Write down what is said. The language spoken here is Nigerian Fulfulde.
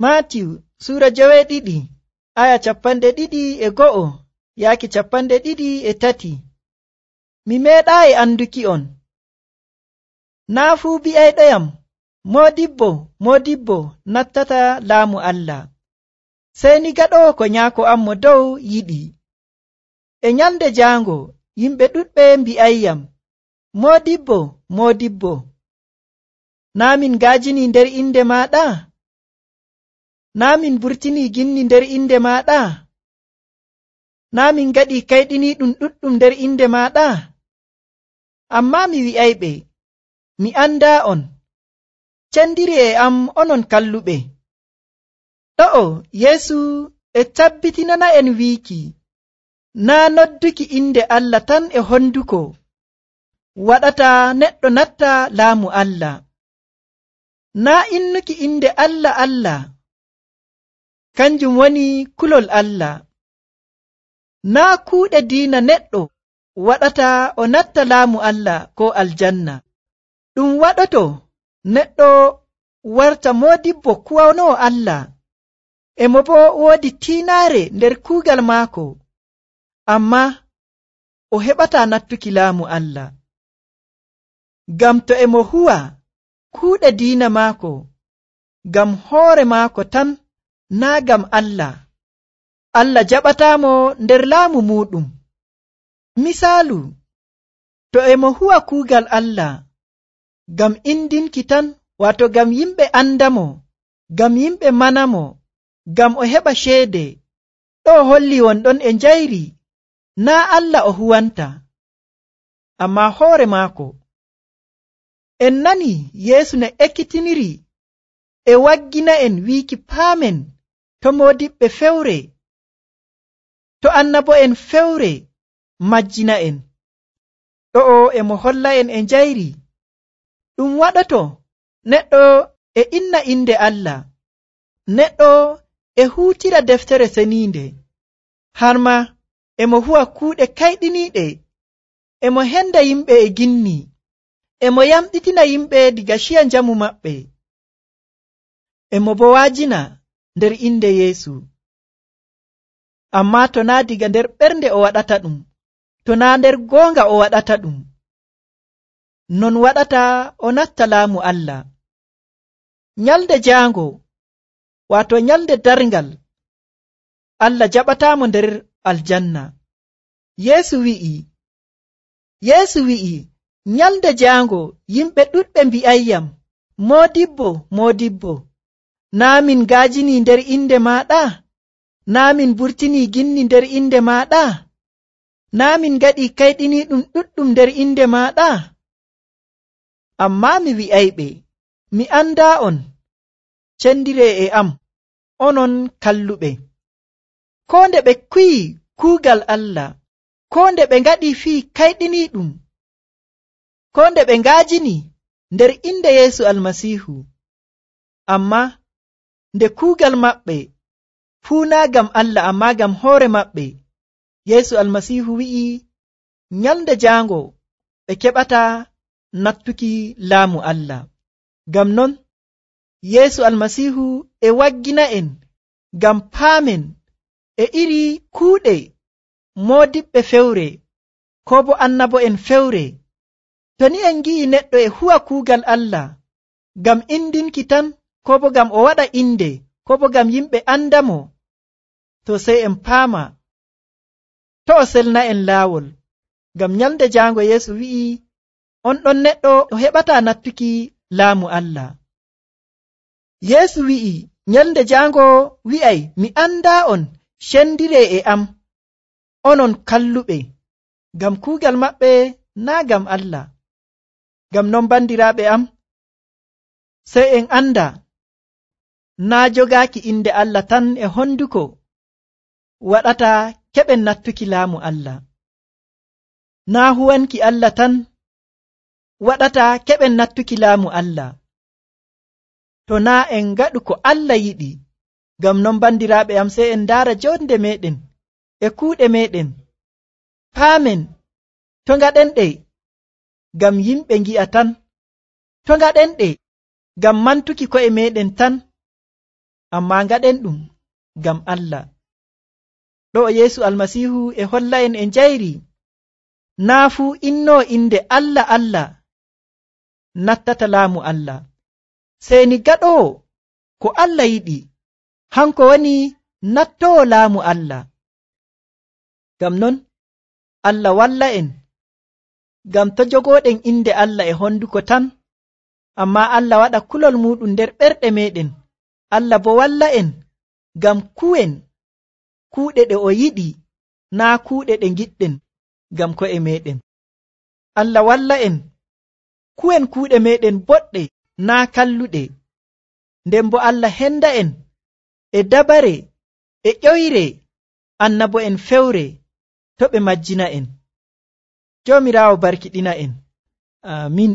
Maatiyu Suura 2 aya 21 yaaki 23. Mi meeɗaayi anduki on. Naa fuu bi'ayɗoyam, Moodibbo, Moodibbo nattata laamu Allah, sey ni gaɗoowo ko Nyaako am mo dow yiɗi. E nyalnde jaango yimɓe ɗuɗɓe mbi'ayyam, Moodibbo, Moodibbo, naa min ngaajinii nder inde maaɗa? Naa min burtinii ginni nder inde maaɗa? Naa min ngaɗii kayɗiniiɗum ɗuɗɗum nder inde maaɗa? Ammaa mi wi'ayɓe, mi andaa on. Cendiri e am onon kalluɓe. Ɗo'o Yeesu e tabbitinana'en wiiki, naa nodduki inde Allah tan e honduko waɗata neɗɗo natta laamu Allah. Naa innuki inde Allah Allah kanjum woni kulol Allah. Naa kuuɗe diina neɗɗo waɗata o natta laamu Allah ko aljanna. Ɗum waɗoto neɗɗo warta moodibbo kuwanoowo Allah, emo boo woodi tiinaare nder kuugal maako, ammaa o heɓataa nattuki laamu Allah. Ngam to emo huwa kuuɗe diina maako ngam hoore maako tan, naa ngam Allah, Allah jaɓataamo nder laamu muuɗum. Misaalu, to emo huwa kuugal Allah ngam indinki tan, waato ngam yimɓe andamo, ngam yimɓe manamo, ngam o heɓa ceede, ɗo holli wonɗon e njayri, naa Allah o huwanta, ammaa hoore maako. En nani Yeesu ne ekkitiniri e waggina'en wiiki paamen to moodiɓɓe fewre, to annabo'en fewre majjina'en. Ɗo'o emo holla'en e njayri ɗum waɗoto neɗɗo e inna inde Allah, neɗɗo e huutira deftere seniinde, har ma emo huwa kuuɗe kayɗiniiɗe, emo henda yimɓe e ginni, emo yamɗitina yimɓe diga ciya njamu maɓɓe, emo bo waajina nder inde Yeesu. Ammaa to naa diga nder ɓernde o waɗata ɗum, to naa nder goonga o waɗata ɗum, non waɗata o natta laamu Allah. Nyalde jaango, waato nyalde darngal, Allah jaɓataamo nder aljanna. Yeesu wi'i, nyalde jaango yimɓe ɗuɗɓe mbi'ayyam, Moodibbo, Moodibbo, naa min ngaajinii nder inde maaɗa? Naa min burtinii ginni nder inde maaɗa? Naa min ngaɗii kayɗiniiɗum ɗuɗɗum nder inde maaɗa? Ammaa mi wi'ayɓe, mi andaa on. Cendiree e am, onon kalluɓe. Koo nde ɓe kuyi kuugal Allah, koo nde ɓe ngaɗii fii kayɗiniiɗum, koo nde ɓe ngaajini nder inde Yeesu Almasiihu, ammaa nde kuugal maɓɓe fuu naa ngam Allah ammaa ngam hoore maɓɓe, Yeesu Almasiihu wi'i nyalnde jaango ɓe keɓataa nattuki laamu Allah. Ngam non Yeesu Almasiihu e waggina'en ngam paamen e iri kuuɗe moodiɓɓe fewre koo bo annabo'en fewre. To ni en ngi'i neɗɗo e huwa kuugal Allah ngam indinki tan, koo bo ngam o waɗa inde, koo bo ngam yimɓe andamo, to sey en paama to o selna'en laawol. Ngam nyalnde jaango Yeesu wi'i on ɗon neɗɗo o heɓataa nattuki laamu Allah. Yeesu wi'i nyalnde jaango wi'ay, mi andaa on, cendiree e am, onon kalluɓe, ngam kuugal maɓɓe naa ngam Allah. Ngam non bandiraaɓe am, sey en anda naa jogaaki inde Allah tan e honduko waɗata keɓen nattuki laamu Allah. Naa huwanki Allah tan waɗata keɓen nattuki laamu Allah. To naa en ngaɗu ko Allah yiɗi. Ngam non bandiraaɓe am, sey en ndaara jonde meɗen e kuuɗe meɗen, paamen to ngaɗenɗe ngam yimɓe ngi'a tan, to ngaɗenɗe ngam mantuki ko'e meɗen tan, ammaa ngaɗen ɗum ngam Allah. Ɗo Yeesu Almasiihu e holla'en e njayri naa fuu innoo inde Allah Allah nattata laamu Allah, sey ni gaɗoowo ko Allah yiɗi, hanko woni nattoowo laamu Allah. Ngam non Allah walla'en, ngam to jogooɗen inde Allah e honduko tan, ammaa Allah waɗa kulol muuɗum nder ɓerɗe meeɗen. Allah bo walla'en ngam kuwen kuuɗe ɗe o yiɗi, naa kuuɗe ɗe ngiɗɗen ngam ko'e meeɗen. Allah walla'en kuwen kuuɗe meeɗen boɗɗe, naa kalluɗe. Nden bo Allah henda'en e dabare e ƴoyre annabo'en fewre to ɓe majjina'en. Joomiraawo barkiɗina'en. Aamin.